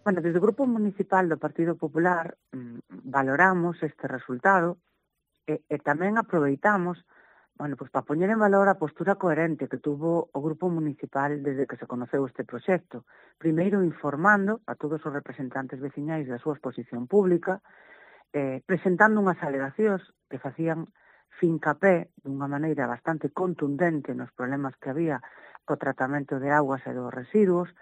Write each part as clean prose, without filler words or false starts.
Bueno, desde o Grupo Municipal do Partido Popular valoramos este resultado e tamén aproveitamos para poñer en valor a postura coherente que tuvo o Grupo Municipal desde que se conoceu este proxecto. Primeiro, informando a todos os representantes veciñais da súa exposición pública, presentando unhas alegacións que facían fincapé dunha maneira bastante contundente nos problemas que había co tratamento de augas e dos residuos,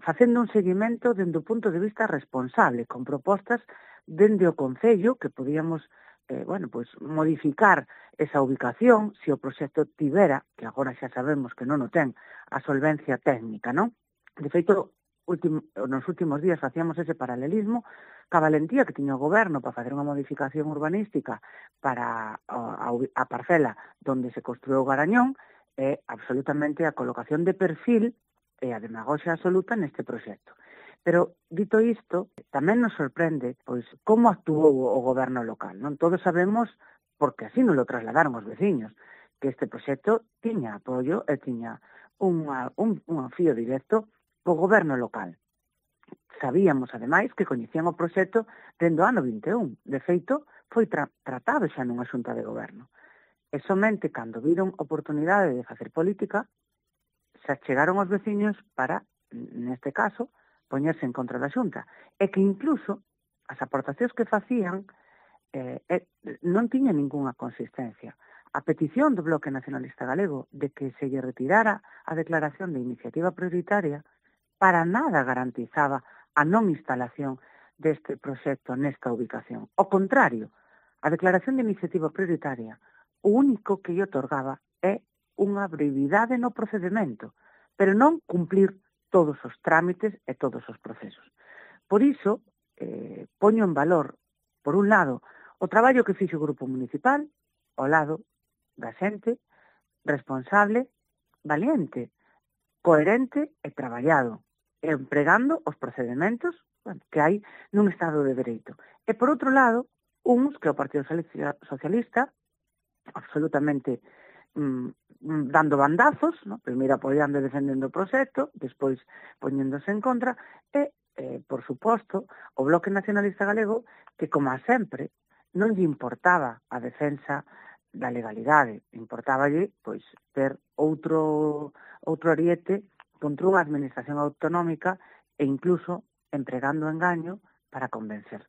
facendo un seguimento dende o punto de vista responsable, con propostas dende o Concello que podíamos modificar esa ubicación se o proxecto tivera, que agora xa sabemos que non o ten, a solvencia técnica, non? De feito, nos últimos días facíamos ese paralelismo ca valentía que tiña o goberno para facer unha modificación urbanística para a parcela donde se construiu o Garañón e absolutamente a colocación de perfil e a demagoxia absoluta neste proxecto. Pero, dito isto, tamén nos sorprende como actuou o goberno local. Non todos sabemos, porque así nos lo trasladaron os veciños, que este proxecto tiña apoio e tiña un fío directo co goberno local. Sabíamos, ademais, que coñecían o proxecto dende o ano 21. De feito, foi tratado xa nunha xunta de goberno. E somente cando viron oportunidade de facer política, se achegaron os veciños para, neste caso, poñerse en contra da xunta. E que incluso as aportacións que facían non tiñan ningunha consistencia. A petición do Bloque Nacionalista Galego de que se lle retirara a declaración de iniciativa prioritaria para nada garantizaba a non instalación deste proxecto nesta ubicación. Ao contrario, a declaración de iniciativa prioritaria o único que lle otorgaba é unha brevidade no procedimento, pero non cumplir todos os trámites e todos os procesos. Por iso, poño en valor, por un lado, o traballo que fixo o Grupo Municipal, ao lado da xente, responsable, valiente, coherente e traballado, empregando os procedimentos que hai nun Estado de Dereito. E, por outro lado, uns que o Partido Socialista, absolutamente dando bandazos, primeiro apoiando e defendendo o proxecto, despois poñéndose en contra, e, por suposto, o Bloque Nacionalista Galego, que, como a sempre, non lle importaba a defensa da legalidade, importáballe ter outro ariete contra unha administración autonómica e incluso empregando engaño para convencer.